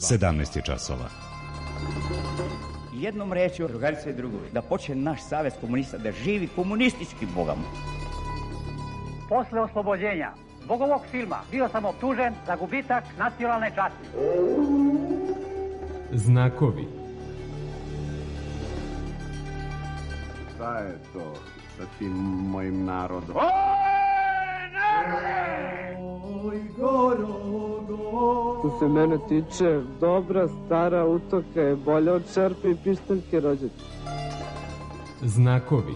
17 je časova. Jednom rečju, drugarice i drugovi, da počne naš savez komunista da živi komunistički bogom. Posle oslobođenja zbog ovog filma bio sam optužen za gubitak nacionalne časti. Znakovi. Šta je to sa tim mojim narodom? Što se mene tiče, dobra stara utoka je bolja od šerpe i pištaljke rođete. Znakovi.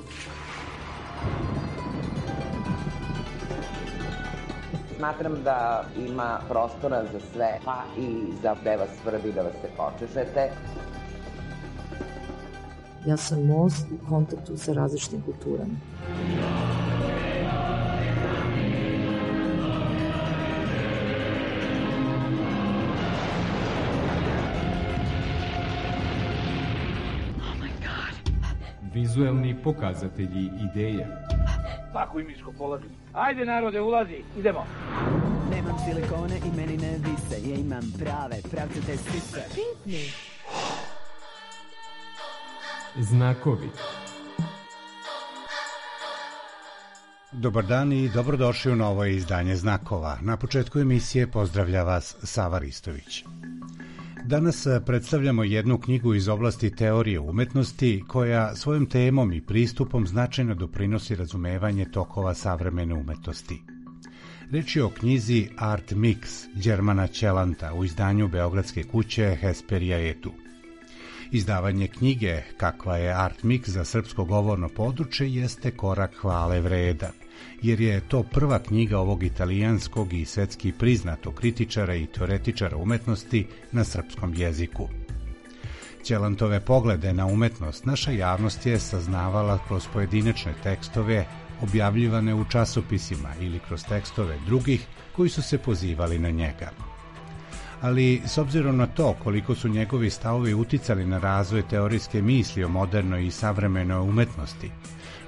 Smatram da ima prostora za sve, pa i za gde vas svrbi da vas se počešete. Ja sam most u kontaktu sa različitim kulturama. Vizuelni pokazatelji ideje. Svaku imičko položim. Ajde narode, ulazi, idemo. Nemam silikone i meni ne vise, ja imam prave, pravcate sise. Pitni. Znakovi. Dobar dan i dobrodošli u novo izdanje Znakova. Na početku emisije pozdravlja vas Sava Ristović. Danas predstavljamo jednu knjigu iz oblasti teorije umetnosti koja svojom temom i pristupom značajno doprinosi razumevanje tokova savremene umetnosti. Reč je o knjizi Art Mix Đermana Ćelanta u izdanju beogradske kuće Hesperija Edu. Izdavanje knjige kakva je Art Mix za srpsko govorno područje jeste korak hvale vredan, jer je to prva knjiga ovog italijanskog i svetski priznatog kritičara i teoretičara umetnosti na srpskom jeziku. Ćelantove poglede na umetnost naša javnost je saznavala kroz pojedinačne tekstove objavljivane u časopisima ili kroz tekstove drugih koji su se pozivali na njega. Ali s obzirom na to koliko su njegovi stavovi uticali na razvoj teorijske misli o modernoj i savremenoj umetnosti,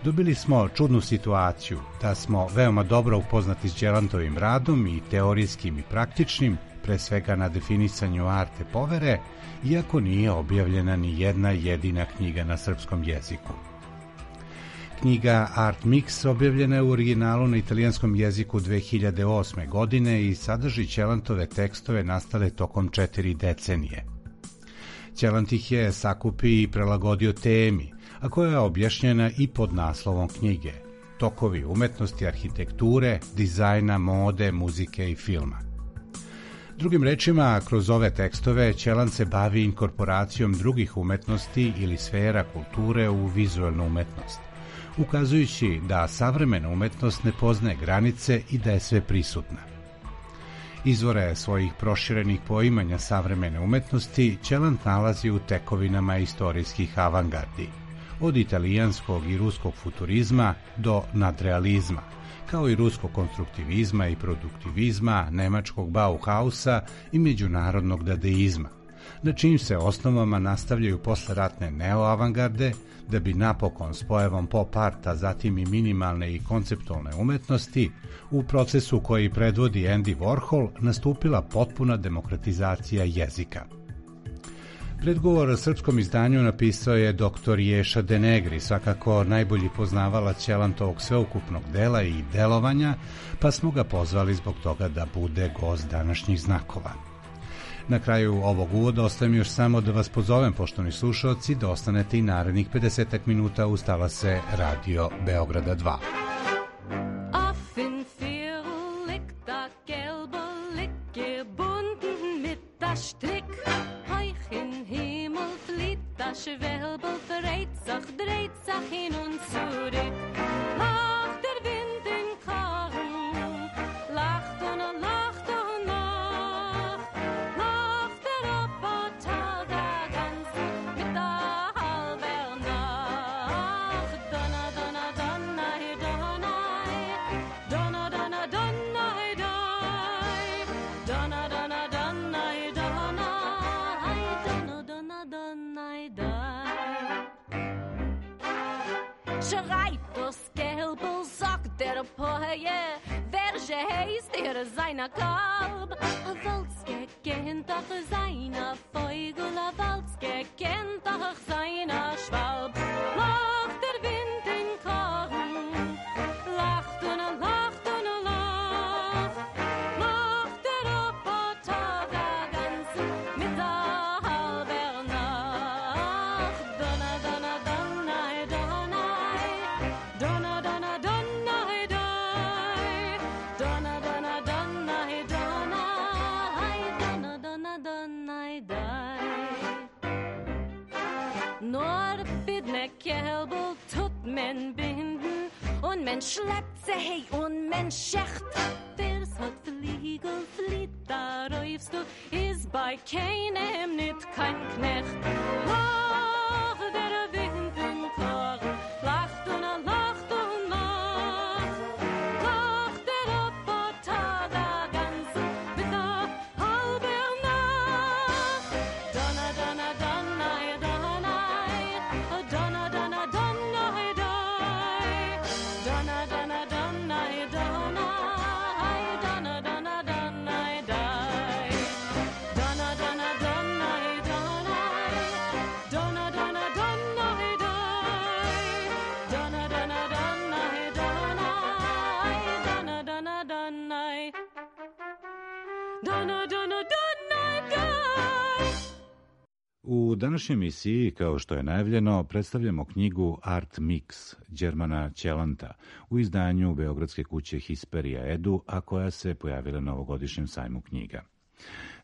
dobili smo čudnu situaciju da smo veoma dobro upoznati s Ćelantovim radom i teorijskim i praktičnim, pre svega na definisanju arte povere, iako nije objavljena ni jedna jedina knjiga na srpskom jeziku. Knjiga Art Mix objavljena je u originalu na italijanskom jeziku 2008. godine i sadrži Ćelantove tekstove nastale tokom 4 decenije. Ćelant ih je sakupio i prelagodio temi, a koja je objašnjena i pod naslovom knjige – Tokovi umetnosti, arhitekture, dizajna, mode, muzike i filma. Drugim rečima, kroz ove tekstove Ćelant se bavi inkorporacijom drugih umetnosti ili sfera kulture u vizualnu umetnost, ukazujući da savremena umetnost ne poznaje granice i da je sve prisutna. Izvore svojih proširenih poimanja savremene umetnosti Ćelant nalazi u tekovinama istorijskih avangardi, od italijanskog i ruskog futurizma do nadrealizma, kao i ruskog konstruktivizma i produktivizma, nemačkog Bauhausa i međunarodnog dadaizma, na čijim se osnovama nastavljaju posleratne neoavangarde, da bi napokon s pojavom pop arta, zatim i minimalne i konceptualne umetnosti, u procesu koji predvodi Andy Warhol, nastupila potpuna demokratizacija jezika. Predgovor srpskom izdanju napisao je dr. Ješa Denegri, svakako najbolji poznavalac Ćelantovog sveukupnog dela i delovanja, pa smo ga pozvali zbog toga da bude gost današnjih Znakova. Na kraju ovog uvoda ostaje mi još samo da vas pozovem, poštovani slušalci, da ostanete i narednih 50 minuta uz talase Radio Beograda 2. Schwelbel dreht sich hin und zurück. Lacht der Wind im Korn, lacht und lacht und lacht. Lacht der Roboter der ganz mit der halben Nacht. Donna, donna, donna, donna, donna, donna, donna, donna, donna, donna, donna, schreit das Gelbel, sagt der Poje, welche heißt er seiner Kalb? Wolls gehen doch seiner nei dai. Nur bidne Kelbel tut men binden und men schleppt se hey und men schecht. Ders hat Fliegel flieht, da räufst du, is bei keinem nit kein Knecht. Ach, der Wind im Tag, lacht und lacht und lacht. Lacht der Opper da ganzen mit der halben Nacht. Donna, donna, donna, donna, donna, donna, donna, donna, donna, donna, donna. U današnjoj emisiji, kao što je najavljeno, predstavljamo knjigu Art Mix Đermana Ćelanta u izdanju beogradske kuće Hisperija Edu, a koja se pojavila na ovogodišnjem sajmu knjiga.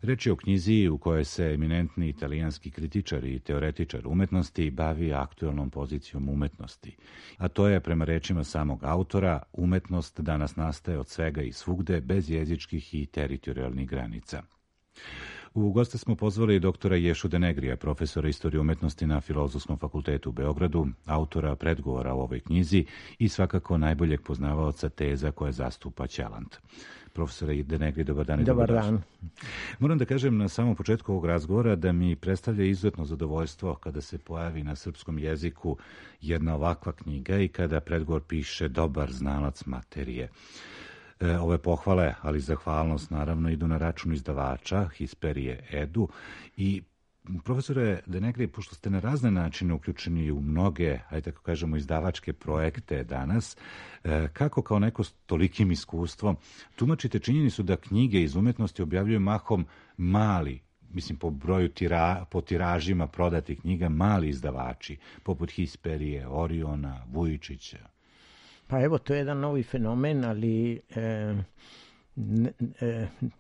Reč je o knjizi u kojoj se eminentni italijanski kritičar i teoretičar umetnosti bavi aktuelnom pozicijom umetnosti, a to je, prema rečima samog autora, umetnost danas nastaje od svega i svugde bez jezičkih i teritorijalnih granica. U goste smo pozvali doktora Ješu Denegrija, profesora istorije umetnosti na Filozofskom fakultetu u Beogradu, autora predgovora u ovoj knjizi i svakako najboljeg poznavaoca teza koje zastupa Ćelant. Profesore Denegri, dobar dan. Dobar dan. Moram da kažem na samom početku ovog razgovora da mi predstavlja izuzetno zadovoljstvo kada se pojavi na srpskom jeziku jedna ovakva knjiga i kada predgovor piše dobar znalac materije. Ove pohvale, ali zahvalnost naravno idu na račun izdavača Hisperije Edu. I profesore Denegri, pošto ste na razne načine uključeni u mnoge, ajde tako kažemo, izdavačke projekte danas, kako kao neko s tolikim iskustvom tumačite činjenicu da knjige iz umetnosti objavljuju mahom mali, mislim po broju po tiražima prodatih knjiga, mali izdavači, poput Hisperije, Oriona, Vujičića? Pa evo, to je jedan novi fenomen, ali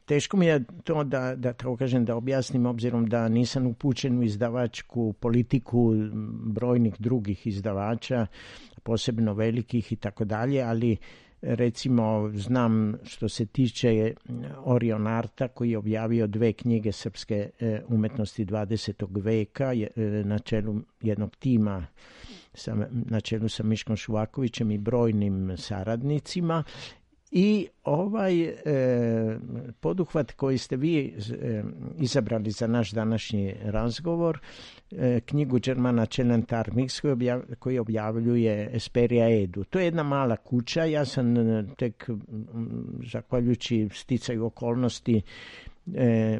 teško mi je to da tako kažem, da objasnim, obzirom da nisam upućen u izdavačku politiku brojnih drugih izdavača, posebno velikih i tako dalje, ali recimo znam što se tiče Orion Arta, koji je objavio 2 knjige srpske umetnosti 20. veka na čelu jednog tima, na čelu sa Miškom Šuvakovićem i brojnim saradnicima. I ovaj poduhvat koji ste vi izabrali za naš današnji razgovor, knjigu Đermana Ćelanta Art Mix koji objavljuje Hisperija Edu. To je jedna mala kuća, ja sam tek zahvaljujući sticaju okolnosti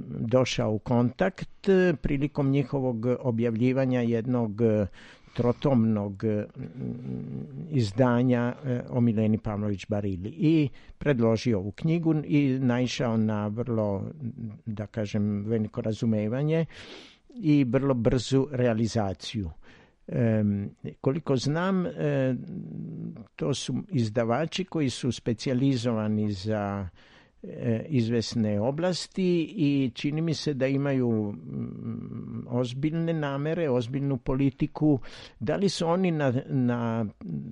došao u kontakt prilikom njihovog objavljivanja jednog trotomnog izdanja o Mileni Pavlović Barili i predložio ovu knjigu i naišao na vrlo, da kažem, veliko razumevanje i vrlo brzu realizaciju. Koliko znam, to su izdavači koji su specijalizovani za izvesne oblasti i čini mi se da imaju ozbiljne namere, ozbiljnu politiku. Da li su oni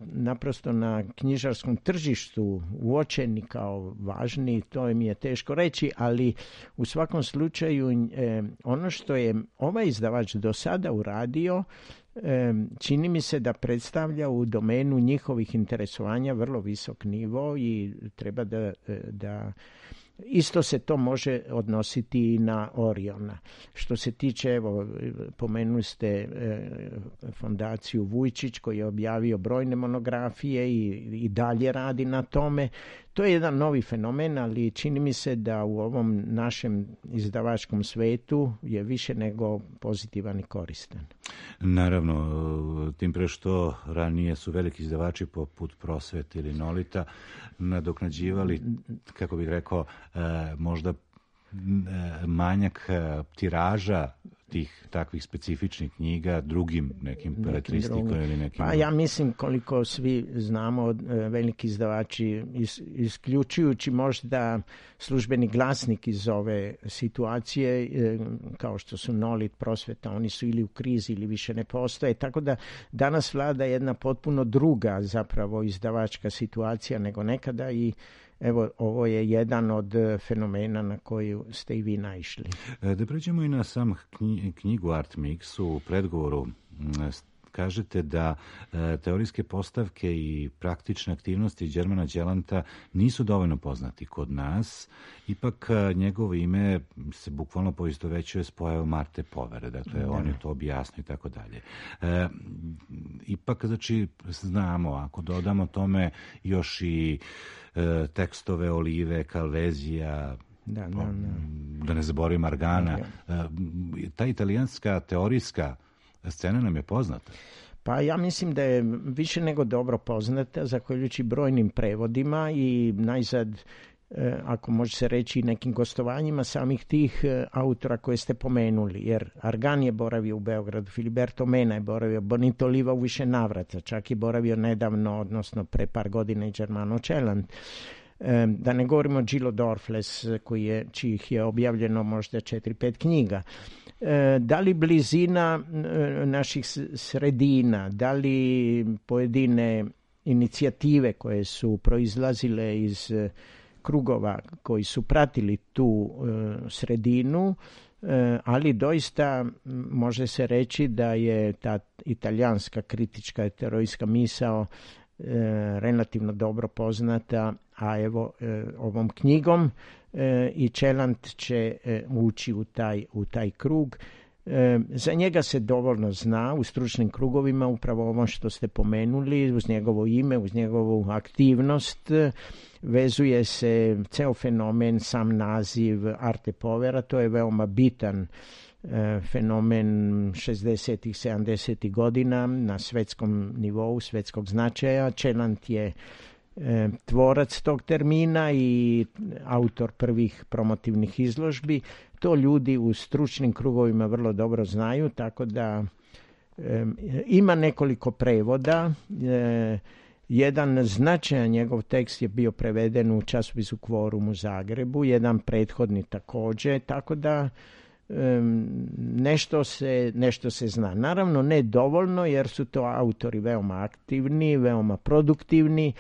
naprosto na knjižarskom tržištu uočeni kao važni, to mi je teško reći, ali u svakom slučaju ono što je ovaj izdavač do sada uradio, čini mi se da predstavlja u domenu njihovih interesovanja vrlo visok nivo i treba da isto se to može odnositi i na Oriona. Što se tiče, evo, pomenuli ste fondaciju Vujčić koji je objavio brojne monografije i dalje radi na tome. To je jedan novi fenomen, ali čini mi se da u ovom našem izdavačkom svetu je više nego pozitivan i koristan. Naravno, tim pre što ranije su veliki izdavači poput Prosvete ili Nolita nadoknađivali, kako bih rekao, možda manjak tiraža tih takvih specifičnih knjiga drugim nekim beletristikom ili nekim... Pa ja mislim koliko svi znamo, veliki izdavači, isključujući možda Službeni glasnik iz ove situacije, kao što su Nolit, Prosveta, oni su ili u krizi ili više ne postoje, tako da danas vlada jedna potpuno druga zapravo izdavačka situacija nego nekada i evo, ovo je jedan od fenomena na koju ste i vi naišli. Da pređemo i na sam knjigu Art Mix. U predgovoru kažete da teorijske postavke i praktične aktivnosti Đermana Đelanta nisu dovoljno poznati kod nas. Ipak njegovo ime se bukvalno poistovećuje s pojavom Marte Povere. Dakle, on je to objasnio i tako dalje. Ipak, znači, znamo, ako dodamo tome još i tekstove Olive, Calvezija, da ne zaboravim Argana, ta italijanska teorijska scena nam je poznata. Pa ja mislim da je više nego dobro poznata, zahvaljujući brojnim prevodima i najzad, ako može se reći, nekim gostovanjima samih tih autora koje ste pomenuli, jer Argan je boravio u Beogradu, Filiberto Mena je boravio, Bonito Oliva u više navrata, čak je boravio nedavno, odnosno pre par godina i Germano Celant. Da ne govorimo o Gillo Dorfles, čijih je objavljeno možda 4-5 knjiga. Da li blizina naših sredina, da li pojedine inicijative koje su proizlazile iz krugova koji su pratili tu sredinu, ali doista može se reći da je ta italijanska kritička teorijska misao relativno dobro poznata, a evo ovom knjigom i Celant će ući u taj krug. Za njega se dovoljno zna u stručnim krugovima, upravo ovo što ste pomenuli, uz njegovo ime, uz njegovu aktivnost, vezuje se ceo fenomen, sam naziv Arte Povera, to je veoma bitan fenomen 60-ih, 70-ih godina na svetskom nivou, svetskog značaja. Celant je tvorac tog termina i autor prvih promotivnih izložbi. To ljudi u stručnim krugovima vrlo dobro znaju, tako da ima nekoliko prevoda. Jedan značajan njegov tekst je bio preveden u časopisu Kvorum u Zagrebu, jedan prethodni također, tako da nešto se zna. Naravno ne dovoljno, jer su to autori veoma aktivni, veoma produktivni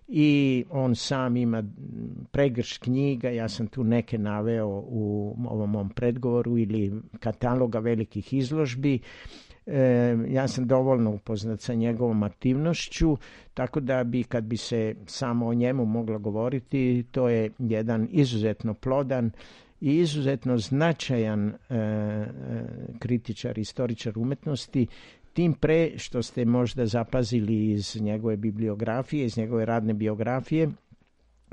i on sam ima pregršt knjiga, ja sam tu neke naveo u ovom mom predgovoru, ili kataloga velikih izložbi. Ja sam dovoljno upoznat sa njegovom aktivnošću, tako da kad bi se samo o njemu moglo govoriti, to je jedan izuzetno plodan i izuzetno značajan kritičar, istoričar umetnosti, tim pre što ste možda zapazili iz njegove bibliografije, iz njegove radne biografije,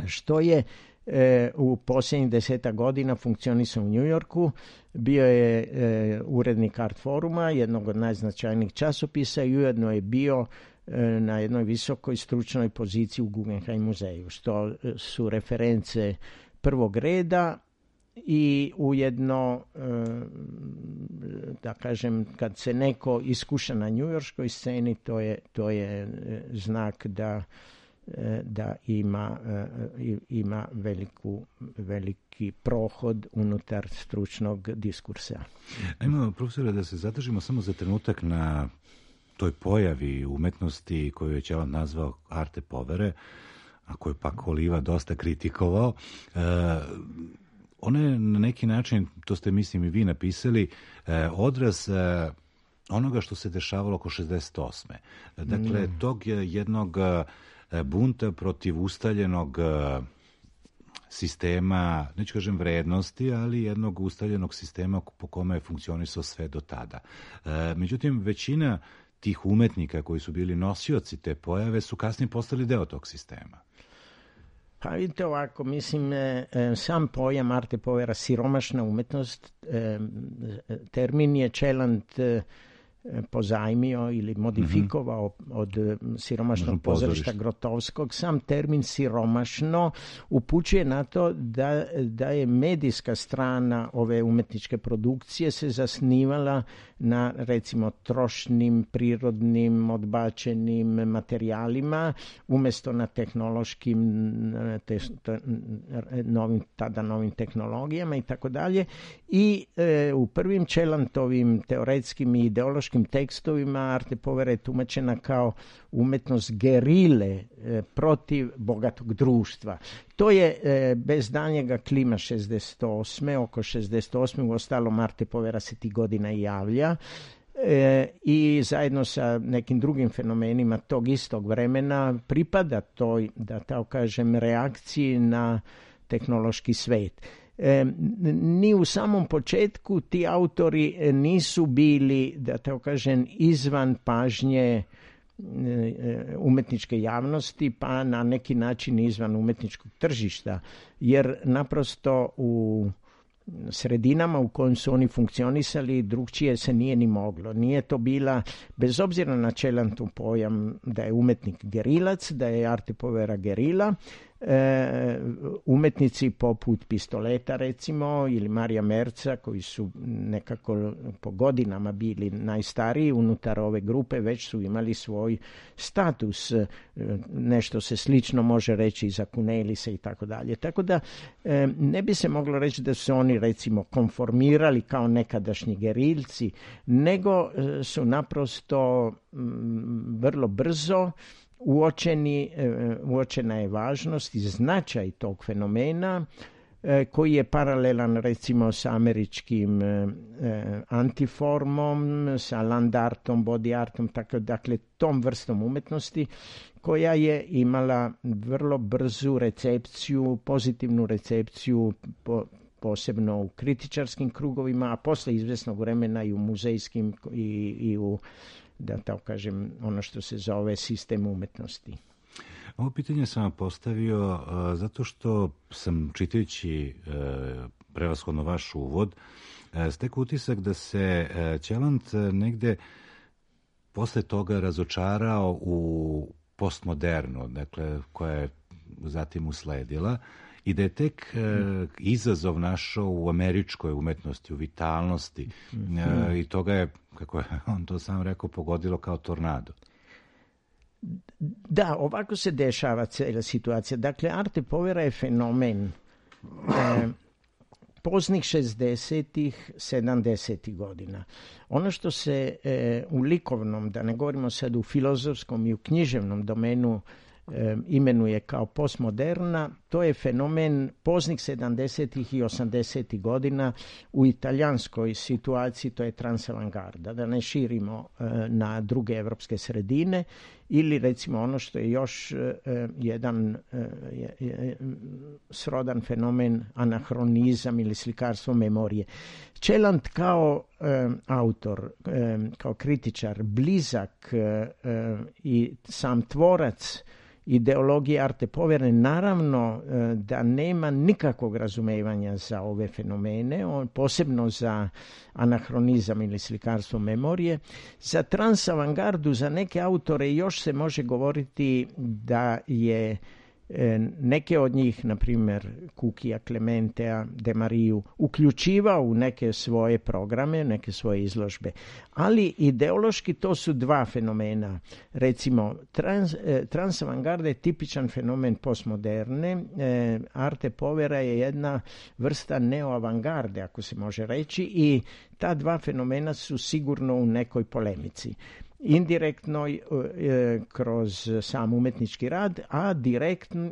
što je u posljednjih 10 godina funkcionisao u New Yorku, bio je urednik Art Foruma, jednog od najznačajnijih časopisa, i ujedno je bio na jednoj visokoj stručnoj poziciji u Guggenheim muzeju, što su reference prvog reda. I ujedno, da kažem, kad se neko iskuša na njujorškoj sceni, to je znak da ima veliki prohod unutar stručnog diskursa. Ajmo, profesore, da se zadržimo samo za trenutak na toj pojavi umetnosti koju je Celant nazvao Arte Povere, a koju pak Oliva dosta kritikovao. Ona je na neki način, to ste mislim i vi napisali, odraz onoga što se dešavalo oko 68. Dakle, tog jednog bunta protiv ustaljenog sistema, neću kažem vrednosti, ali jednog ustaljenog sistema po kome je funkcionisao sve do tada. Međutim, većina tih umetnika koji su bili nosioci te pojave su kasnije postali deo tog sistema. Pa vidite ovako, mislim, sam pojam Arte Povera, siromašna umetnost, termin je Celant pozajmio ili modifikovao od siromašnog pozorišta Grotovskog. Sam termin siromašno upućuje na to da je medijska strana ove umetničke produkcije se zasnivala na, recimo, trošnim, prirodnim, odbačenim materijalima umjesto na tehnološkim, novim tehnologijama i tako dalje. I u prvim Čelantovim teoretskim i ideološkim tekstovima Arte Povera je tumačena kao umetnost gerile protiv bogatog društva. To je bez daljnjega klima 68. Oko 68. Uostalom Arte Povera se tih godina i javlja i zajedno sa nekim drugim fenomenima tog istog vremena pripada toj, da tako kažem, reakciji na tehnološki svet. Ni u samom početku ti autori nisu bili, da tako kažem, izvan pažnje umetničke javnosti, pa na neki način izvan umetničkog tržišta, jer naprosto u sredinama u kojim su oni funkcionisali drugčije se nije ni moglo. Nije to bila, bez obzira na Čelantov pojam da je umetnik gerilac, da je Arte Povera gerila, umetnici poput Pistoleta, recimo, ili Marija Merca, koji su nekako po godinama bili najstariji unutar ove grupe, već su imali svoj status. Nešto se slično može reći i za Kunelisa i tako dalje. Tako da ne bi se moglo reći da su oni, recimo, konformirali kao nekadašnji gerilci, nego su naprosto vrlo brzo uočena je važnost i značaj tog fenomena koji je paralelan, recimo, sa američkim antiformom, sa land artom, body artom, dakle tom vrstom umetnosti koja je imala vrlo brzu recepciju, pozitivnu recepciju posebno u kritičarskim krugovima, a posle izvesnog vremena i u muzejskim i u, da tako kažem, ono što se zove sistem umetnosti. Ovo pitanje sam vam postavio zato što sam, čitajući prevashodno vaš uvod, stekao utisak da se Ćelant negde posle toga razočarao u postmodernu, dakle, koja je zatim usledila, i da je tek izazov našao u američkoj umetnosti, u vitalnosti, i toga je, kako je on to sam rekao, pogodilo kao tornado. Da, ovako se dešava cijela situacija. Dakle, Arte Povera je fenomen poznih 60-ih, 70-ih godina. Ono što se u likovnom, da ne govorimo sad u filozofskom i u književnom domenu, imenuje kao postmoderna, to je fenomen poznih 70-ih i 80-ih godina. U italijanskoj situaciji to je transavangarda, da ne širimo na druge evropske sredine, ili recimo ono što je još jedan srodan fenomen, anahronizam ili slikarstvo memorije. Ćelant kao autor, kao kritičar, blizak i sam tvorac ideologije Arte Povere, naravno da nema nikakvog razumevanja za ove fenomene, posebno za anahronizam ili slikarstvo memorije. Za transavangardu, za neke autore još se može govoriti da je neke od njih, na primjer Kukija, Klementea, De Mariju, uključivao u neke svoje programe, neke svoje izložbe. Ali ideološki to su dva fenomena. Recimo, transavangarda je tipičan fenomen postmoderne. Arte Povera je jedna vrsta neoavangarde, ako se može reći, i ta dva fenomena su sigurno u nekoj polemici. Indirektnoj kroz sam umetnički rad, a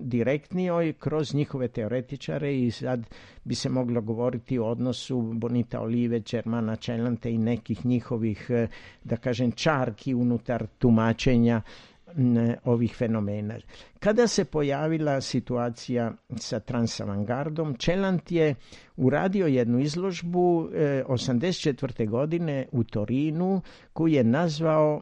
direktnijoj kroz njihove teoretičare, i sad bi se moglo govoriti o odnosu Bonita Olive, Germana Ćelanta i nekih njihovih, da kažem, čarki unutar tumačenja ovih fenomena. Kada se pojavila situacija sa transavangardom, Ćelant je uradio jednu izložbu 1984. godine u Torinu koju je nazvao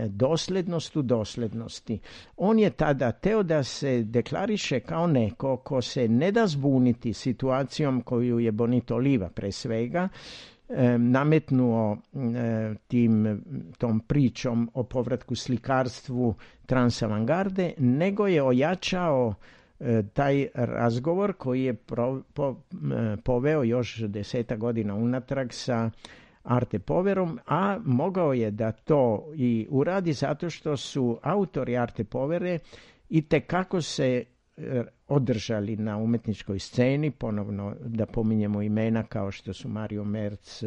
Doslednost u doslednosti. On je tada teo da se deklariše kao neko ko se ne da zbuniti situacijom koju je Bonito Oliva pre svega nametnuo tom pričom o povratku slikarstvu transavangarde, nego je ojačao taj razgovor koji je poveo još 10 godina unatrag sa Arte Poverom, a mogao je da to i uradi zato što su autori Arte Povere itekako se održali na umetničkoj sceni, ponovno da pominjemo imena kao što su Mario Merz,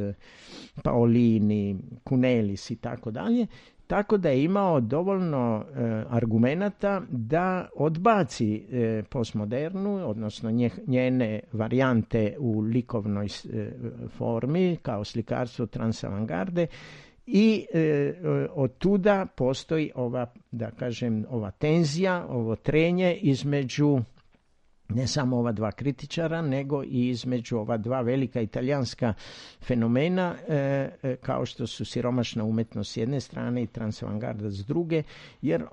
Paolini, Cunelis i tako dalje, tako da je imao dovoljno argumenata da odbaci postmodernu, odnosno njene varijante u likovnoj formi kao slikarstvo transavangarde i od tuda postoji ova tenzija, ovo trenje između ne samo ova dva kritičara, nego i između ova dva velika italijanska fenomena, kao što su siromašna umetnost s jedne strane i transavangarda s druge, jer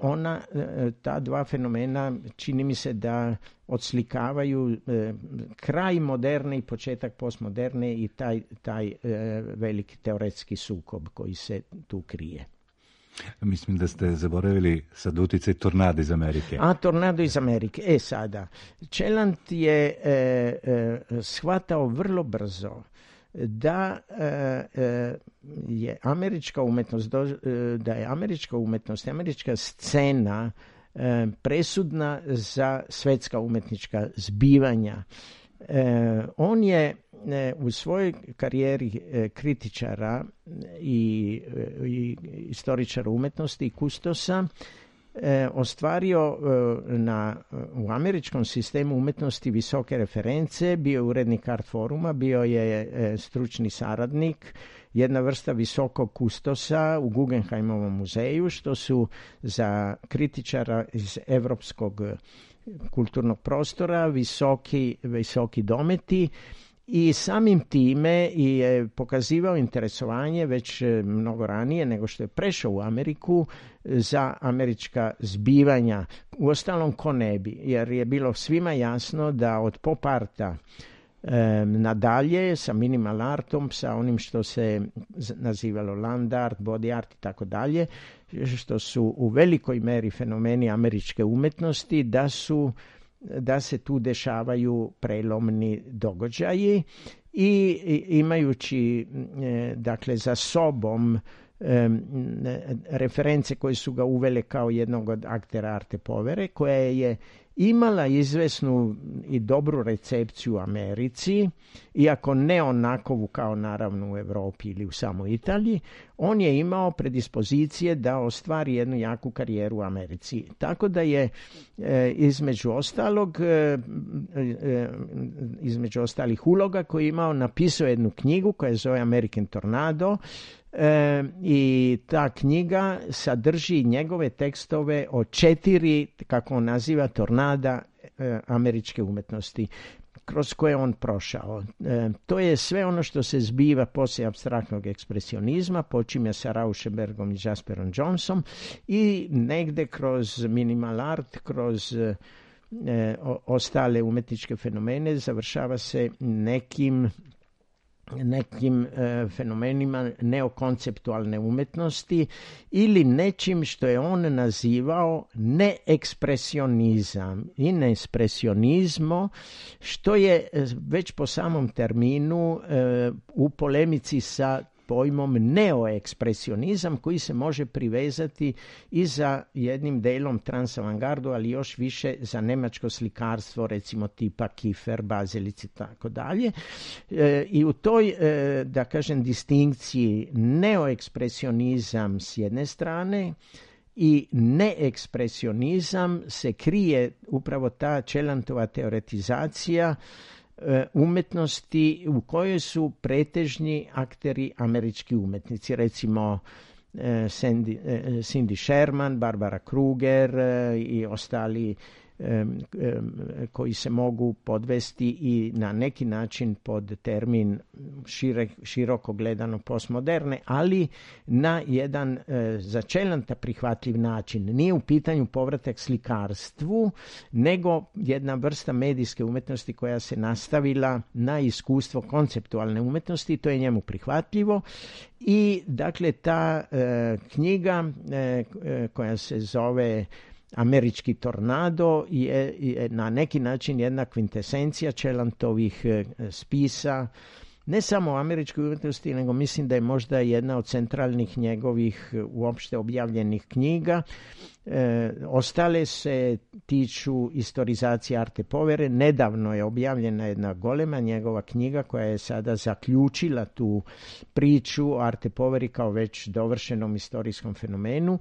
ta dva fenomena čini mi se da odslikavaju kraj moderne i početak postmoderne i taj veliki teoretski sukob koji se tu krije. Mislim da ste zaboravili sad uticaj Tornada iz Amerike. Tornado iz Amerike. Sada, Celant je shvatao vrlo brzo da je američka umetnost, američka scena presudna za svetska umetnička zbivanja. On je u svojoj karijeri kritičara i istoričara umetnosti i kustosa ostvario u američkom sistemu umetnosti visoke reference, bio je urednik Art Foruma, bio je stručni saradnik, jedna vrsta visokog kustosa u Guggenheimovom muzeju, što su za kritičara iz evropskog kulturnog prostora visoki dometi, i samim time je pokazivao interesovanje već mnogo ranije nego što je prešao u Ameriku za američka zbivanja. Uostalom, ko ne bi, jer je bilo svima jasno da od pop arta nadalje sa minimal artom, sa onim što se nazivalo land art, body art i tako dalje, što su u velikoj meri fenomeni američke umetnosti, da se tu dešavaju prelomni događaji i imajući dakle za sobom reference koje su ga uvele kao jednog od aktera Arte Povere, koja je imala izvesnu i dobru recepciju u Americi, iako ne onakovu kao naravno u Evropi ili u samoj Italiji, on je imao predispozicije da ostvari jednu jaku karijeru u Americi. Tako da je između ostalih uloga koje je imao, napisao jednu knjigu koja se zove American Tornado, i ta knjiga sadrži njegove tekstove o 4, kako on naziva, tornada američke umetnosti kroz koje on prošao. To je sve ono što se zbiva poslije apstraktnog ekspresionizma, počinje sa Rauschenbergom i Jasperom Jonesom i negde kroz minimal art, kroz ostale umetničke fenomene završava se nekim fenomenima neokonceptualne umetnosti ili nečim što je on nazivao neekspresionizam i neespresionizmo, što je već po samom terminu u polemici sa pojmom neoekspresionizam, koji se može privezati i za jednim delom transavangardu, ali još više za nemačko slikarstvo, recimo tipa Kiefer, Bazelic i tako dalje. I u toj, da kažem, distinkciji neoekspresionizam s jedne strane i neekspresionizam se krije upravo ta Celantova teoretizacija umetnosti u kojoj su pretežni akteri američki umetnici, recimo Cindy Sherman, Barbara Kruger i ostali koji se mogu podvesti i na neki način pod termin široko gledano postmoderne, ali na jedan za Čelanta prihvatljiv način. Nije u pitanju povratak slikarstvu, nego jedna vrsta medijske umetnosti koja se nastavila na iskustvo konceptualne umetnosti, to je njemu prihvatljivo. I dakle ta knjiga koja se zove Američki tornado je na neki način jedna kvintesencija Čelantovih spisa, ne samo o američkoj umetnosti, nego mislim da je možda jedna od centralnih njegovih uopšte objavljenih knjiga. Ostale se tiču istorizacije Arte Povere. Nedavno je objavljena jedna golema njegova knjiga koja je sada zaključila tu priču o Arte Poveri kao već dovršenom istorijskom fenomenu.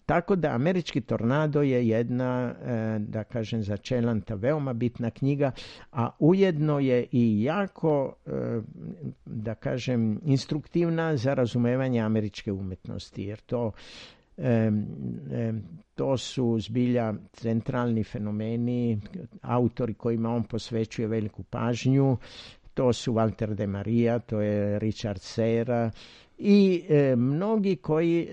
Tako da Američki tornado je jedna, da kažem, za Čelanta veoma bitna knjiga, a ujedno je i jako, da kažem, instruktivna za razumevanje američke umetnosti, jer to su zbilja centralni fenomeni, autori kojima on posvećuje veliku pažnju. To su Walter de Maria, to je Richard Serra i mnogi koji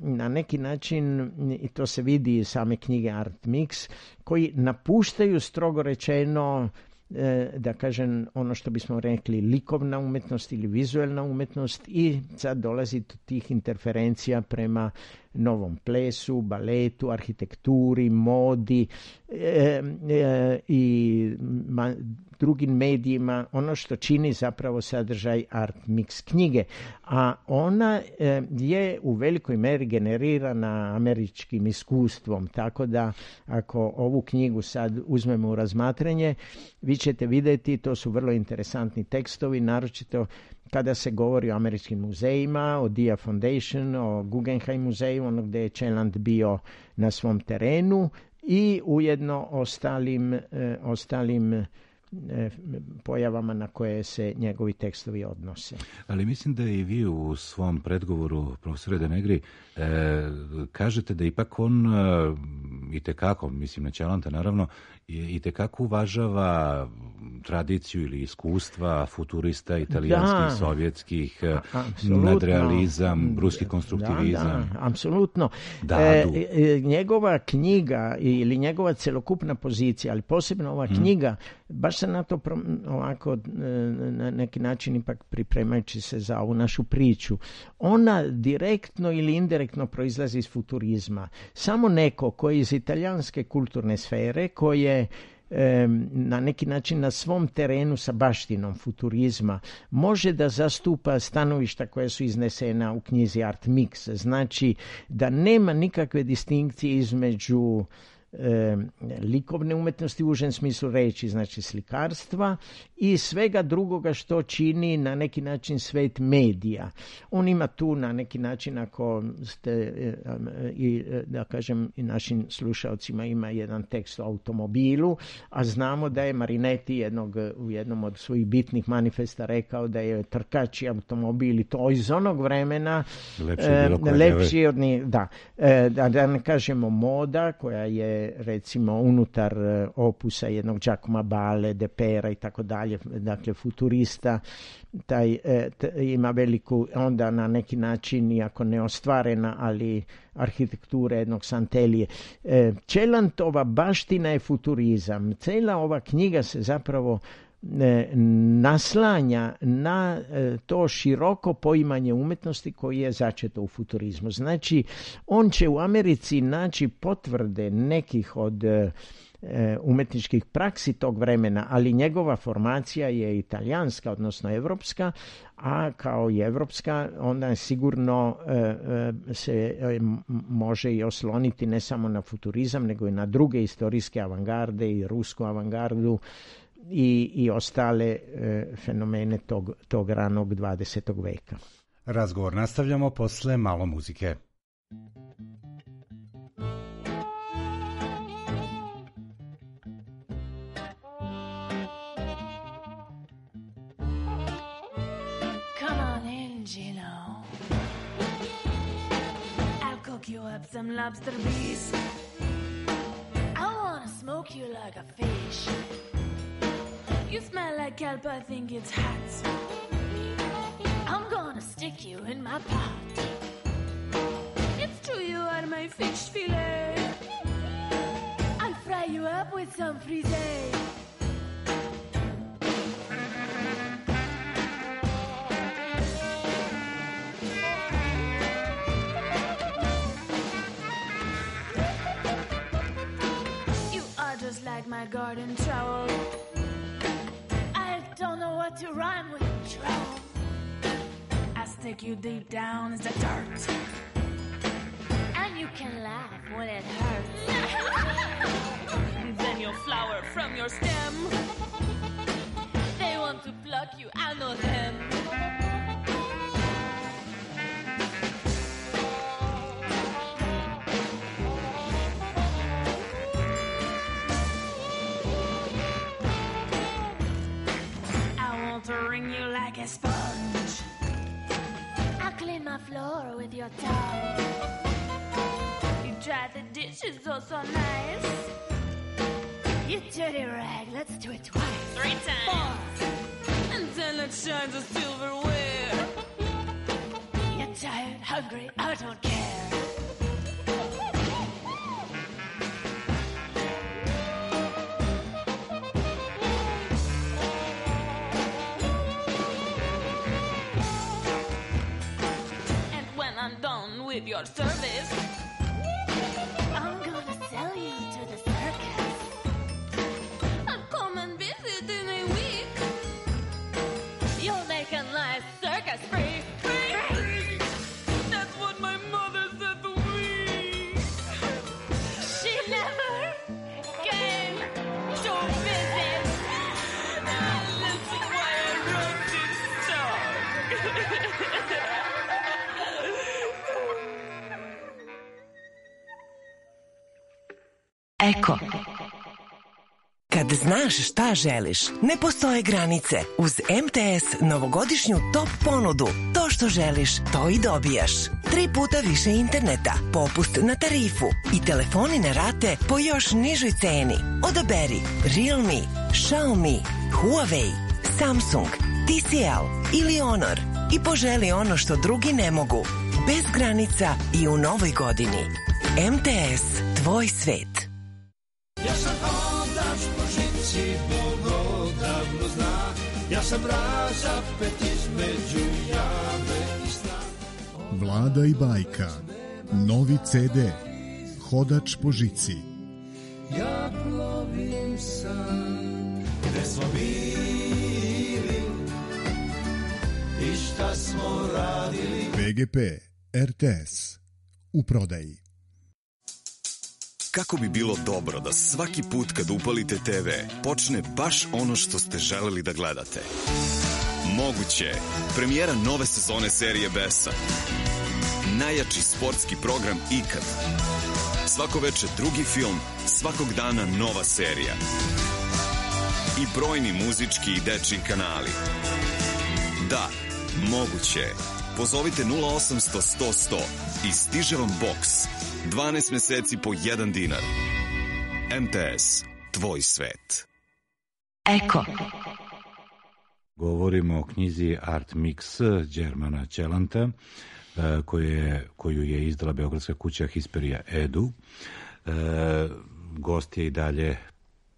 na neki način, i to se vidi iz same knjige Art Mix, koji napuštaju strogo rečeno, da kažem, ono što bismo rekli likovna umetnost ili vizuelna umetnost, i sad dolazi do tih interferencija prema novom plesu, baletu, arhitekturi, modi i drugim medijima, ono što čini zapravo sadržaj Art Mix knjige. A ona je u velikoj meri generirana američkim iskustvom, tako da ako ovu knjigu sad uzmemo u razmatranje, vi ćete vidjeti, to su vrlo interesantni tekstovi, naročito kada se govori o američkim muzejima, o Dia Foundation, o Guggenheim muzeju, ono gdje je Čeland bio na svom terenu, i ujedno ostalim pojavama na koje se njegovi tekstovi odnose. Ali mislim da i vi u svom predgovoru, profesore De Negri, kažete da ipak on itekako, mislim na Čelanta naravno, itekako uvažava tradiciju ili iskustva futurista italijanskih, sovjetskih, nadrealizam, ruski konstruktivizam. Da, apsolutno. Njegova knjiga ili njegova celokupna pozicija, ali posebno ova knjiga, baš se na to ovako na neki način ipak pripremajući se za ovu našu priču, ona direktno ili indirektno proizlazi iz futurizma. Samo neko koji iz italijanske kulturne sfere, koje na neki način na svom terenu sa baštinom futurizma može da zastupa stanovišta koja su iznesena u knjizi Art Mix. Znači da nema nikakve distinkcije između likovne umetnosti u užem smislu reći, znači slikarstva, i svega drugoga što čini na neki način svet medija. On ima tu na neki način, ako ste, i da kažem i našim slušalcima, ima jedan tekst o automobilu, a znamo da je Marinetti u jednom od svojih bitnih manifesta rekao da je trkač i automobil, i to iz onog vremena lepši od njih, da ne kažemo moda koja je recimo unutar opusa jednog Giacomo Bale, Depera i tako dalje, dakle futurista, taj ima veliku, onda na neki način, iako neostvarena, ali arhitektura jednog Santelije. Čelantova baština je futurizam. Cijela ova knjiga se zapravo naslanja na to široko poimanje umetnosti koji je začeto u futurizmu. Znači, on će u Americi naći potvrde nekih od umetničkih praksi tog vremena, ali njegova formacija je italijanska, odnosno evropska, a kao i evropska onda sigurno se može i osloniti ne samo na futurizam, nego i na druge istorijske avangarde i rusku avangardu i ostale fenomene tog ranog 20. veka. Razgovor nastavljamo posle malo muzike. Come on in, Gino. I'll cook you up some lobster beef. I wanna smoke smoke you like a fish. You smell like kelp, I think it's hot. I'm gonna stick you in my pot. It's true you are my fish fillet. I'll fry you up with some frisee. You are just like my garden trowel. I don't know what to rhyme with trowel. I stick you deep down as the dirt. And you can laugh when it hurts. And then you'll flower from your stem. They want to pluck you, I know them. I want to wring you like a sponge. I'll clean my floor with your tongue. You dry the dishes oh so nice. You dirty rag, let's do it twice. 3 times. 4. And then it shines a silverware. You're tired, hungry, I don't care. And when I'm done with your service, I'm gonna sell you to the circus. I'll come and visit in a week. You'll make a nice circus free. Free. That's what my mother said to me. She never came to visit. Listen why I wrote this song. Eko. Kad znaš šta želiš, ne postoje granice. Uz MTS novogodišnju top ponudu. To što želiš, to i dobijaš. 3 puta više interneta, popust na tarifu i telefoni na rate po još nižoj ceni. Odaberi Realme, Xiaomi, Huawei, Samsung, TCL ili Honor i poželi ono što drugi ne mogu. Bez granica i u novoj godini. MTS, tvoj svet. Ja sam hodač po žici, Bog odavno zna. Ja sam razapet između jave i sna. Vlada i bajka. Novi CD. Hodač po žici. Ja plovim sam, gde smo bili i šta smo radili. PGP RTS. U prodaji. Kako bi bilo dobro da svaki put kad upalite TV počne baš ono što ste želeli da gledate? Moguće je. Premijera nove sezone serije Besa. Najjači sportski program ikad. Svako veče drugi film, svakog dana nova serija. I brojni muzički i dečji kanali. Da, moguće je. Pozovite 0800 100 100 i stiže vam boks. 12 meseci po 1 dinar. MTS, tvoj svet. Eko. Govorimo o knjizi Art Mix Đermana Ćelanta, koju je izdala beogradska kuća Hisperija Edu. Gost je i dalje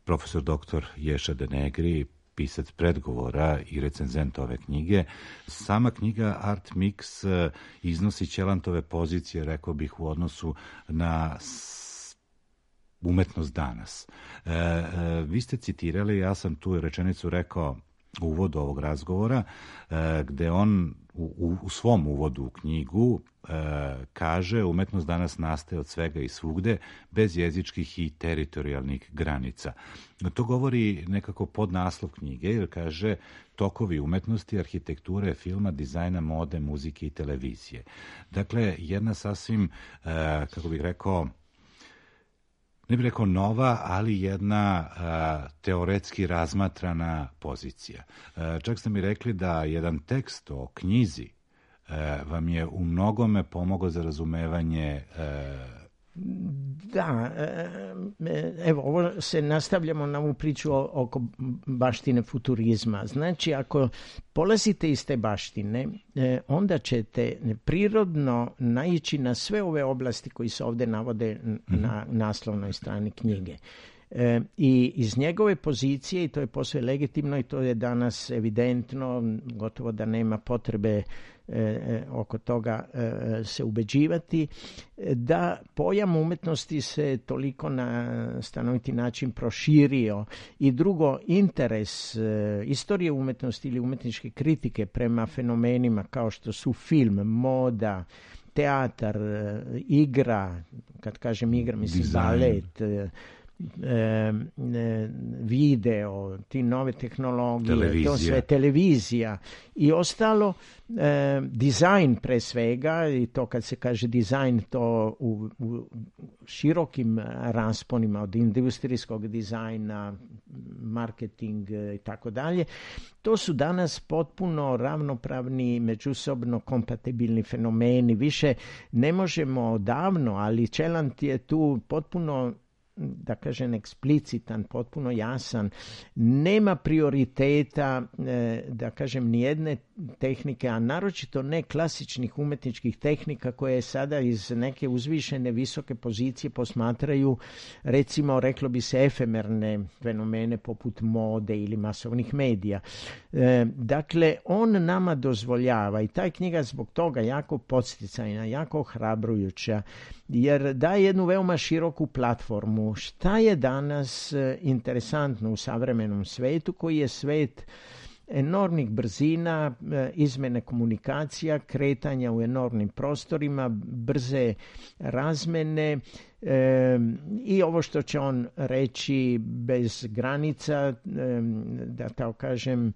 profesor dr. Ješa Denegri, pisac predgovora i recenzent ove knjige. Sama knjiga Art Mix iznosi Ćelantove pozicije, rekao bih, u odnosu na umetnost danas. Vi ste citirali, ja sam tu rečenicu rekao u uvodu ovog razgovora, gde on u svom uvodu u knjigu kaže: umetnost danas nastaje od svega i svugde, bez jezičkih i teritorijalnih granica. To govori nekako podnaslov knjige, jer kaže tokovi umetnosti, arhitekture, filma, dizajna, mode, muzike i televizije. Dakle, jedna sasvim, kako bih rekao, ne bih rekao nova, ali jedna teoretski razmatrana pozicija. Čak ste mi rekli da jedan tekst o knjizi vam je u mnogome pomogao za razumevanje Da, evo, ovo se nastavljamo na ovu priču oko baštine futurizma. Znači, ako polazite iz te baštine, onda ćete prirodno naići na sve ove oblasti koji se ovdje navode na naslovnoj strani knjige. I iz njegove pozicije, i to je posve legitimno i to je danas evidentno, gotovo da nema potrebe oko toga se ubeđivati, da pojam umetnosti se toliko na stanoviti način proširio i drugo, interes istorije umetnosti ili umetničke kritike prema fenomenima kao što su film, moda, teatar, igra, kad kažem igra mislim balet, video, ti nove tehnologije, to sve, televizija i ostalo, dizajn pre svega, i to kad se kaže dizajn, to u širokim rasponima od industrijskog dizajna, marketing i tako dalje, to su danas potpuno ravnopravni, međusobno kompatibilni fenomeni. Više ne možemo odavno, ali Čelant je tu potpuno, da kažem, eksplicitan, potpuno jasan, nema prioriteta, da kažem, nijedne tehnike, a naročito ne klasičnih umetničkih tehnika koje sada iz neke uzvišene visoke pozicije posmatraju, recimo, reklo bi se, efemerne fenomene poput mode ili masovnih medija. Dakle, on nama dozvoljava, i ta je knjiga zbog toga jako podsticajna, jako ohrabrujuća, jer daje jednu veoma široku platformu. Šta je danas interesantno u savremenom svetu, koji je svet enormnih brzina, izmene komunikacija, kretanja u enormnim prostorima, brze razmene i ovo što će on reći bez granica, da tako kažem,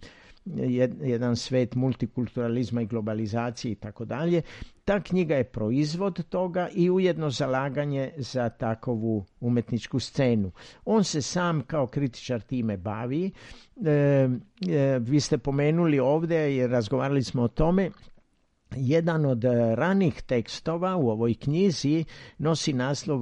jedan svet multikulturalizma i globalizacije i tako dalje. Ta knjiga je proizvod toga i ujedno zalaganje za takovu umetničku scenu. On se sam kao kritičar time bavi. Vi ste pomenuli ovdje i razgovarali smo o tome. Jedan od ranih tekstova u ovoj knjizi nosi naslov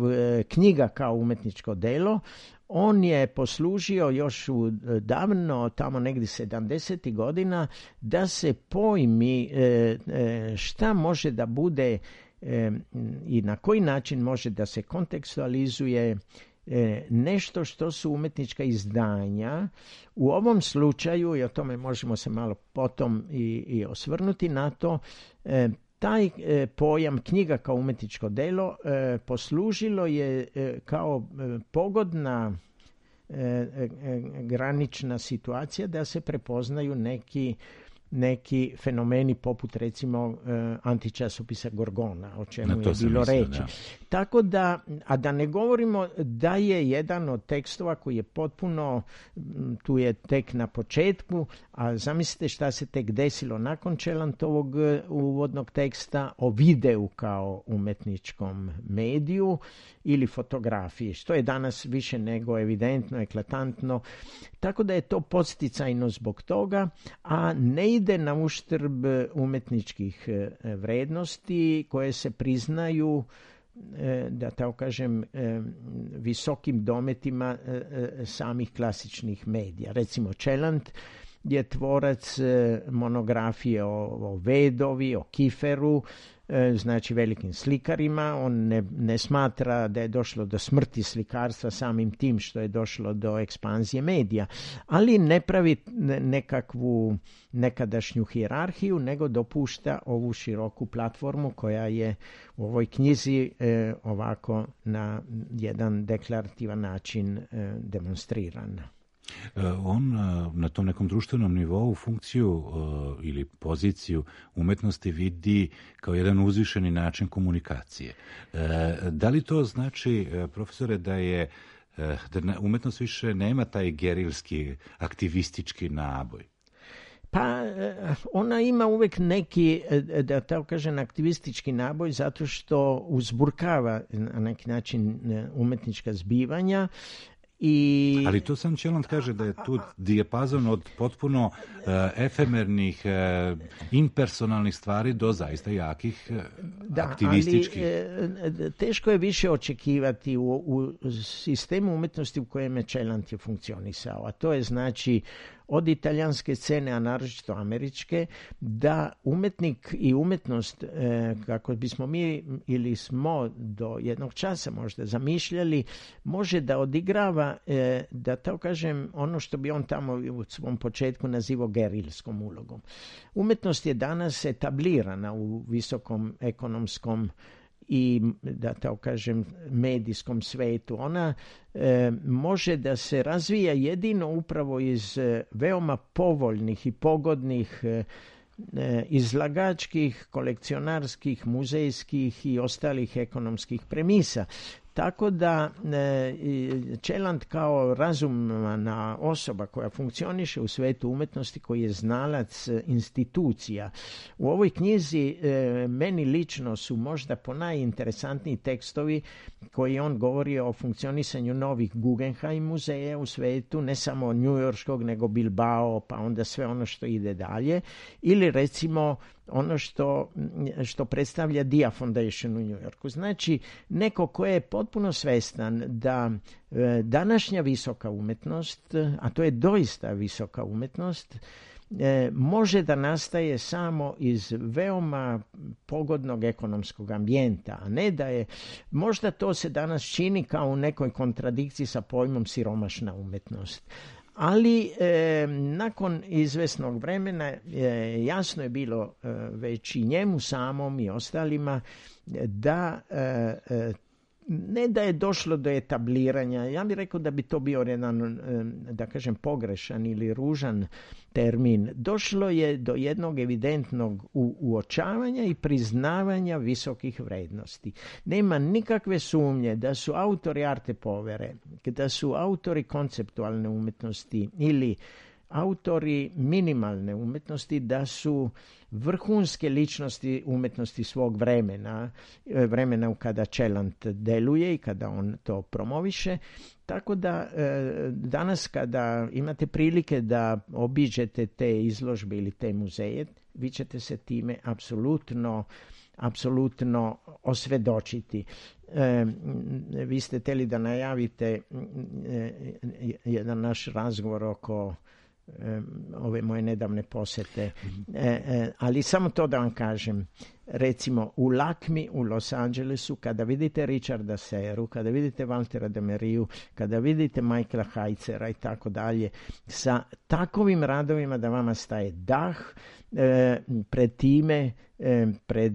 Knjiga kao umetničko delo. On je poslužio još u davno, tamo negdje 70. godina, da se pojmi šta može da bude i na koji način može da se kontekstualizuje nešto što su umetnička izdanja. U ovom slučaju, i o tome možemo se malo potom i osvrnuti na to, taj pojam knjiga kao umetničko delo poslužilo je kao pogodna granična situacija da se prepoznaju neki fenomeni poput recimo antičasopisa Gorgona, o čemu je bilo reći. Tako da, a da ne govorimo da je jedan od tekstova koji je potpuno, tu je tek na početku, a zamislite šta se tek desilo nakon Čelantovog uvodnog teksta o videu kao umetničkom mediju ili fotografiji, što je danas više nego evidentno, eklatantno. Tako da je to podsticajno zbog toga, a ne ide na uštrb umetničkih vrednosti koje se priznaju, da tako kažem, visokim dometima samih klasičnih medija. Recimo, Čelant je tvorac monografije o Vedovi, o Kiferu, znači velikim slikarima. On ne smatra da je došlo do smrti slikarstva samim tim što je došlo do ekspanzije medija, ali ne pravi nekakvu nekadašnju hijerarhiju, nego dopušta ovu široku platformu koja je u ovoj knjizi ovako na jedan deklarativan način demonstrirana. On na tom nekom društvenom nivou funkciju ili poziciju umetnosti vidi kao jedan uzvišeni način komunikacije. Da li to znači, profesore, da umetnost više nema taj gerilski, aktivistički naboj? Pa ona ima uvek neki, da tako kažem, aktivistički naboj zato što uzburkava na neki način umetnička zbivanja Ali to sam Čeland kaže da je tu dijapazon od potpuno efemernih, impersonalnih stvari do zaista jakih, aktivističkih. Ali teško je više očekivati u sistemu umjetnosti u kojem je Čeland je funkcionisao, a to je znači od italijanske scene, a naročito američke, da umjetnik i umjetnost, kako bismo mi ili smo do jednog časa možda zamišljali, može da odigrava, da tako kažem, ono što bi on tamo u svom početku nazivao gerilskom ulogom. Umjetnost je danas etablirana u visokom ekonomskom i, da tako kažem, medijskom svetu. Ona može da se razvija jedino upravo iz veoma povoljnih i pogodnih izlagačkih, kolekcionarskih, muzejskih i ostalih ekonomskih premisa. Tako da Čeland kao razumna osoba koja funkcioniše u svetu umjetnosti, koji je znalac institucija. U ovoj knjizi meni lično su možda ponajinteresantniji tekstovi koji on govori o funkcionisanju novih Guggenheim muzeja u svetu, ne samo njujorškog, nego Bilbao, pa onda sve ono što ide dalje. Ili recimo ono što predstavlja Dia Foundation u New Yorku. Znači, neko ko je potpuno svestan da današnja visoka umjetnost, a to je doista visoka umjetnost, može da nastaje samo iz veoma pogodnog ekonomskog ambijenta, a ne da je, možda to se danas čini kao u nekoj kontradikciji sa pojmom siromašna umjetnost. Ali nakon izvesnog vremena jasno je bilo već i njemu samom i ostalima da ne da je došlo do etabliranja, ja bih rekao da bi to bio jedan, da kažem, pogrešan ili ružan termin. Došlo je do jednog evidentnog uočavanja i priznavanja visokih vrednosti. Nema nikakve sumnje da su autori arte povere, da su autori konceptualne umjetnosti ili autori minimalne umjetnosti, da su vrhunske ličnosti umjetnosti svog vremena u kada Čeland deluje i kada on to promoviše. Tako da danas kada imate prilike da obiđete te izložbe ili te muzeje, vi ćete se time apsolutno osvedočiti. Vi ste htjeli da najavite jedan naš razgovor oko ove moje nedavne posete, ali samo to da vam kažem. Recimo u Lakmi u Los Angelesu, kada vidite Richarda Serru, kada vidite Waltera de Meriju, kada vidite Michaela Heitzera i tako dalje, sa takovim radovima da vama staje dah pred time, pred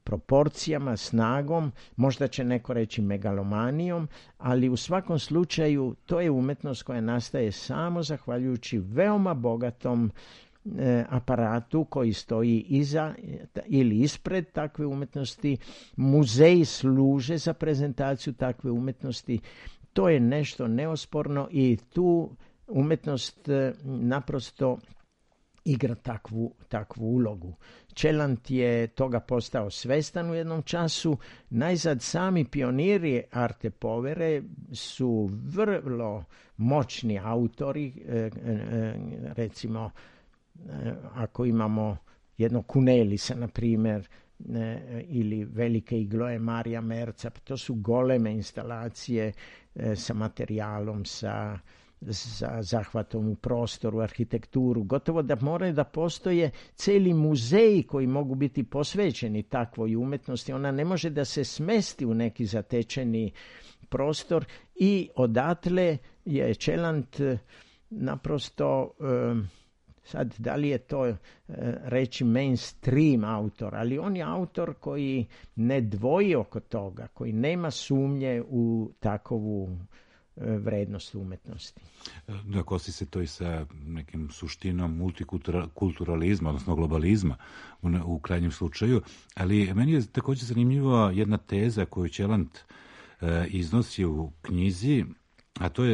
proporcijama, snagom, možda će neko reći megalomanijom, ali u svakom slučaju to je umjetnost koja nastaje samo zahvaljujući veoma bogatom aparatu koji stoji iza ili ispred takve umjetnosti. Muzeji služe za prezentaciju takve umjetnosti. To je nešto neosporno i tu umjetnost naprosto igra takvu ulogu. Čeland je toga postao svestan u jednom času. Najzad sami pioniri arte povere su vrlo moćni autori, recimo ako imamo jedno Kunelisa, na primjer, ili velike igloje Marija Merca, to su goleme instalacije sa materijalom, sa zahvatom u prostoru, arhitekturu. Gotovo da moraju da postoje cijeli muzeji koji mogu biti posvećeni takvoj umjetnosti. Ona ne može da se smesti u neki zatečeni prostor i odatle je Čeland naprosto... Sad, da li je to reći mainstream autor, ali on je autor koji ne dvoji oko toga, koji nema sumnje u takovu vrednost umjetnosti. Da, kosi se to i sa nekim suštinom multikulturalizma, odnosno globalizma u krajnjem slučaju, ali meni je također zanimljiva jedna teza koju Čeland iznosi u knjizi, a to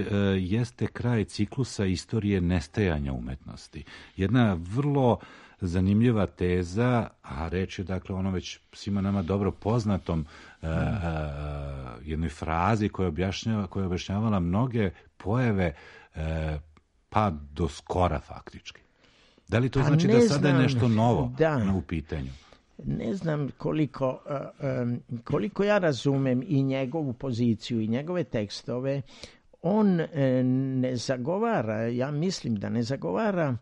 jeste kraj ciklusa istorije nestajanja umetnosti. Jedna vrlo zanimljiva teza, a reč je dakle ono već svima nama dobro poznatom jednoj frazi koja je objašnjavala mnoge pojave pa do skora faktički. Da li to znači da sada je nešto novo u pitanju? Ne znam koliko ja razumem i njegovu poziciju i njegove tekstove, on ne zagovara, ja mislim da ne zagovara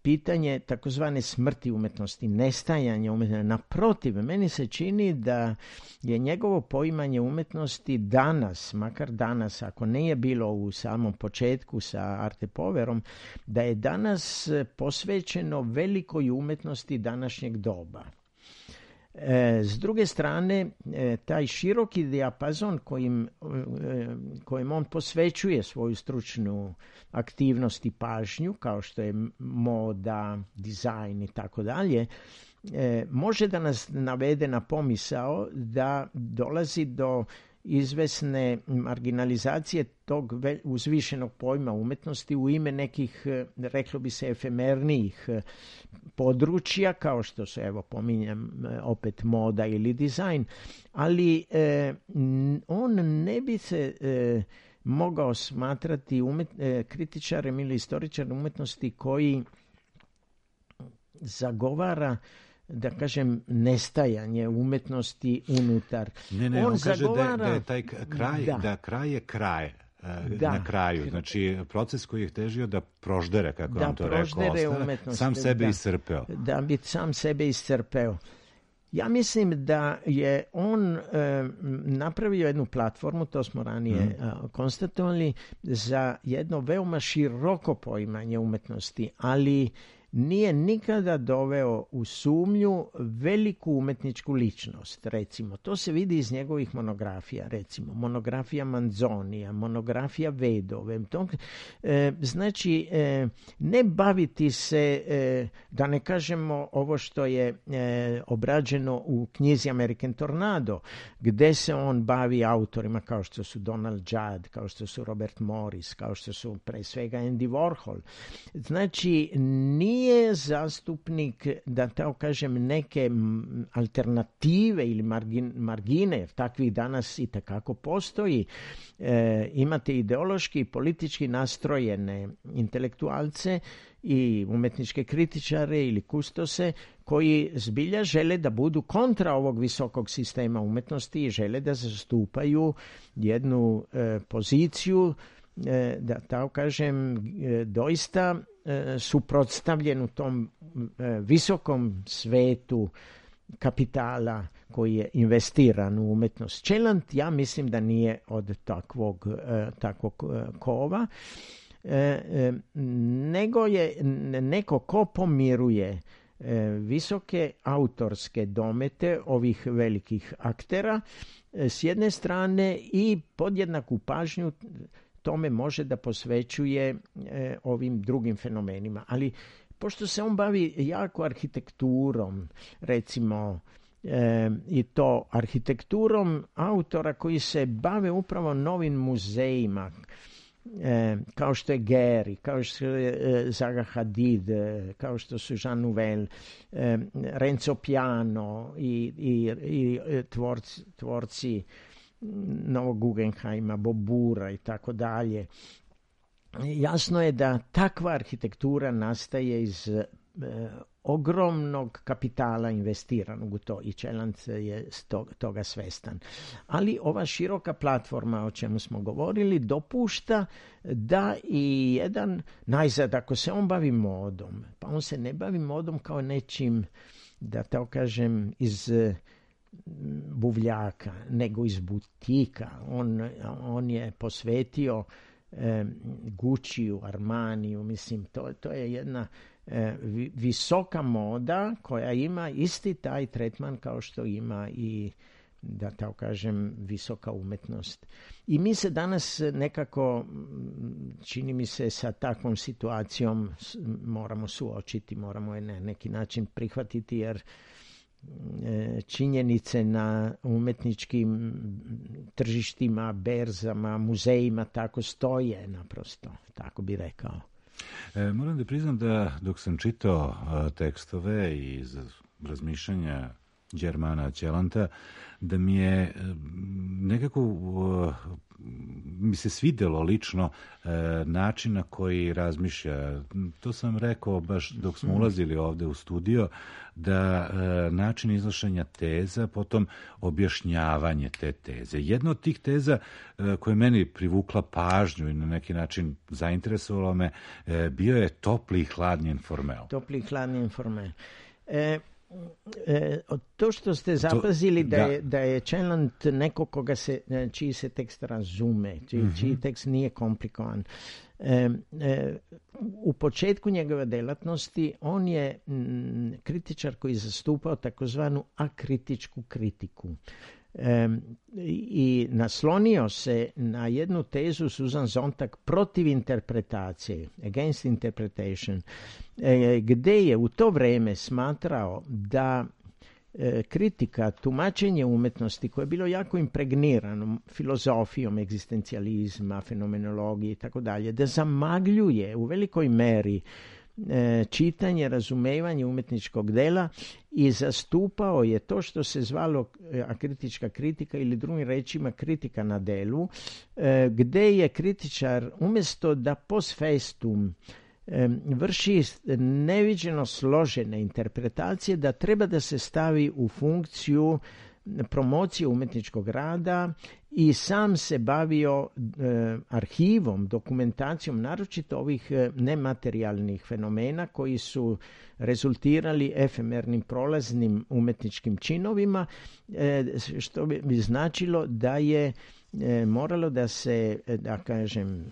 pitanje takozvane smrti umetnosti, nestajanja umetnosti. Naprotiv, meni se čini da je njegovo poimanje umetnosti danas, makar danas, ako nije bilo u samom početku sa Arte Poverom, da je danas posvećeno velikoj umetnosti današnjeg doba. S druge strane, taj široki dijapazon kojim on posvećuje svoju stručnu aktivnost i pažnju, kao što je moda, dizajn i tako dalje, može da nas navede na pomisao da dolazi do izvesne marginalizacije tog uzvišenog pojma umetnosti u ime nekih, reklo bi se, efemernijih područja, kao što su, evo, pominjem opet moda ili dizajn, ali on ne bi se mogao smatrati kritičarem ili istoričarem umetnosti koji zagovara, da kažem, nestajanje umetnosti unutar. Ne, on kaže da je taj kraj, da kraj je kraj. Na kraju. Znači, proces koji je težio da proždere, kako on to rekao, sam sebe iscrpeo. Da bi sam sebe iscrpeo. Ja mislim da je on napravio jednu platformu, to smo ranije konstatovali, za jedno veoma široko poimanje umetnosti, ali nije nikada doveo u sumnju veliku umetničku ličnost, recimo. To se vidi iz njegovih monografija, recimo. Monografija Manzonija, monografija Vedove. Znači, ne baviti se, da ne kažemo ovo što je obrađeno u knjizi American Tornado, gde se on bavi autorima kao što su Donald Judd, kao što su Robert Morris, kao što su pre svega Andy Warhol. Znači, nije zastupnik, da tako kažem, neke alternative ili margine, jer takvih danas i takako postoji. Imate ideološki i politički nastrojene intelektualce i umetničke kritičare ili kustose koji zbilja žele da budu kontra ovog visokog sistema umetnosti i žele da zastupaju jednu poziciju, da tako kažem, doista suprotstavljen u tom visokom svetu kapitala koji je investiran u umetnost. Čeland, ja mislim da nije od takvog kova, nego je neko ko pomiruje visoke autorske domete ovih velikih aktera s jedne strane i podjednaku pažnju tome može da posvećuje ovim drugim fenomenima. Ali pošto se on bavi jako arhitekturom, recimo, i to arhitekturom autora koji se bave upravo novim muzejima, kao što je Gehry, kao što je Zaha Hadid, kao što su Jean Nouvel, Renzo Piano i tvorci Novog Guggenheima, Bobura i tako dalje. Jasno je da takva arhitektura nastaje iz ogromnog kapitala investiranog u to i Čeland je toga svestan. Ali ova široka platforma o čemu smo govorili dopušta da i jedan, najzad ako se on bavi modom, pa on se ne bavi modom kao nečim, da tako kažem, iz buvljaka, nego iz butika. On je posvetio Gucciu, Armaniju, mislim, to je jedna visoka moda koja ima isti taj tretman kao što ima i, da tako kažem, visoka umetnost. I mi se danas nekako, čini mi se, sa takvom situacijom moramo suočiti, moramo je na neki način prihvatiti, jer činjenice na umetničkim tržištima, berzama, muzejima tako stoje, naprosto, tako bi rekao. Moram da priznam da dok sam čitao tekstove i razmišljanja Đermana Ćelanta, da mi je nekako mi se svidelo lično način na koji razmišlja. To sam rekao baš dok smo ulazili ovde u studio, da način iznošenja teza, potom objašnjavanje te teze. Jedna od tih teza koja je meni privukla pažnju i na neki način zainteresovala me, bio je topli i hladni informel. Topli i hladni informel. To što ste zapazili da je Ćelant neko čiji se tekst razume, čiji tekst nije komplikovan. U početku njegove delatnosti on je kritičar koji zastupao takozvanu akritičku kritiku. I naslonio se na jednu tezu Susan Sontag protiv interpretacije, against interpretation, gde je u to vreme smatrao da kritika, tumačenje umetnosti koje je bilo jako impregnirano filozofijom egzistencijalizma, fenomenologije i tako dalje, da zamagljuje u velikoj meri čitanje, razumevanje umetničkog dela i zastupao je to što se zvalo akritička kritika ili drugim rečima kritika na delu, gde je kritičar umjesto da post festum vrši neviđeno složene interpretacije, da treba da se stavi u funkciju promocije umetničkog rada i sam se bavio arhivom, dokumentacijom, naročito ovih nematerijalnih fenomena koji su rezultirali efemernim prolaznim umetničkim činovima, što bi značilo da je moralo da se, da kažem,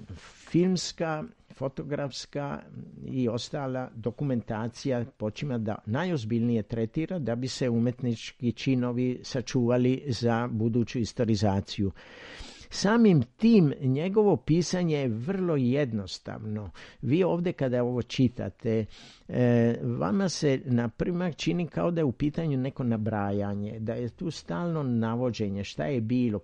filmska, fotografska i ostala dokumentacija počima da najozbiljnije tretira da bi se umetnički činovi sačuvali za buduću istorizaciju. Samim tim njegovo pisanje je vrlo jednostavno. Vi ovdje kada ovo čitate, vama se na primak čini kao da je u pitanju neko nabrajanje, da je tu stalno navođenje šta je bilo,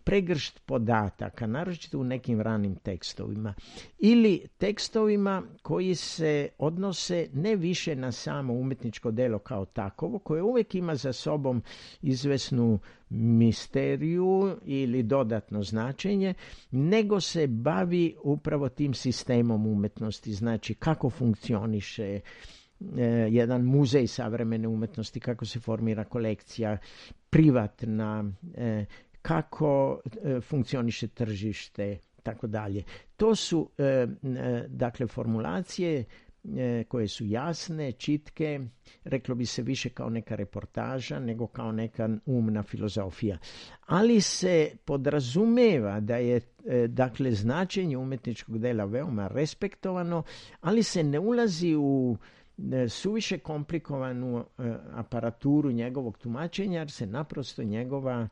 pregršt podataka, naročito u nekim ranim tekstovima, ili tekstovima koji se odnose ne više na samo umetničko delo kao takovo, koje uvijek ima za sobom izvesnu misteriju ili dodatno značenje, nego se bavi upravo tim sistemom umetnosti, znači kako funkcioniše jedan muzej savremene umetnosti, kako se formira kolekcija privatna, kako funkcioniše tržište, tako dalje. To su dakle formulacije koje su jasne, čitke, reklo bi se više kao neka reportaža nego kao neka umna filozofija. Ali se podrazumeva da je dakle značenje umetničkog dela veoma respektovano, ali se ne ulazi u suviše komplikovanu aparaturu njegovog tumačenja, jer se naprosto njegova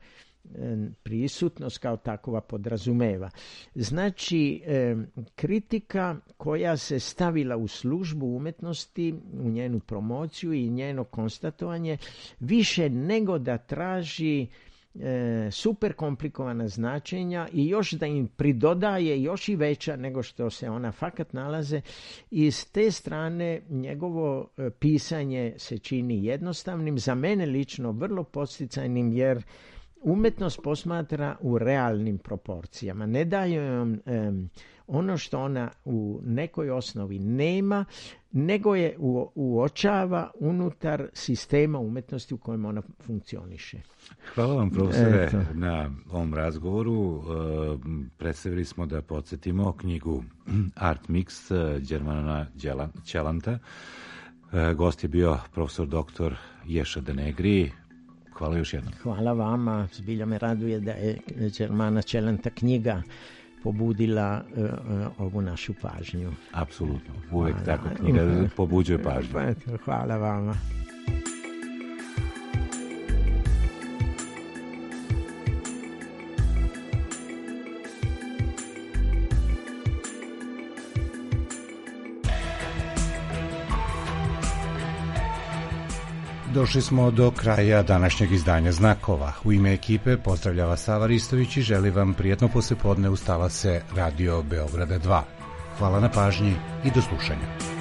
prisutnost kao takova podrazumeva. Znači, kritika koja se stavila u službu umetnosti, u njenu promociju i njeno konstatovanje, više nego da traži super komplikovana značenja i još da im pridodaje još i veća nego što se ona fakat nalaze, i s te strane njegovo pisanje se čini jednostavnim, za mene lično vrlo podsticajnim, jer umetnost posmatra u realnim proporcijama. Ne daje ono što ona u nekoj osnovi nema, nego je uočava unutar sistema umetnosti u kojem ona funkcioniše. Hvala vam, profesore, na ovom razgovoru. Predstavili smo, da podsjetimo, knjigu Art Mix Đermana Ćelanta. Gost je bio profesor doktor Ješa Denegri. Hvala još jednom. Hvala vama. Zbilja me raduje da je Đermana Ćelanta knjiga pobudila ovu našu pažnju. Apsolutno. Uvijek tako knjiga pobuđuje pažnju. Hvala vama. Došli smo do kraja današnjeg izdanja Znakova. U ime ekipe pozdravlja vas Sava Ristović i želi vam prijetno poslijepodne uz talase Radio Beograda 2. Hvala na pažnji i do slušanja.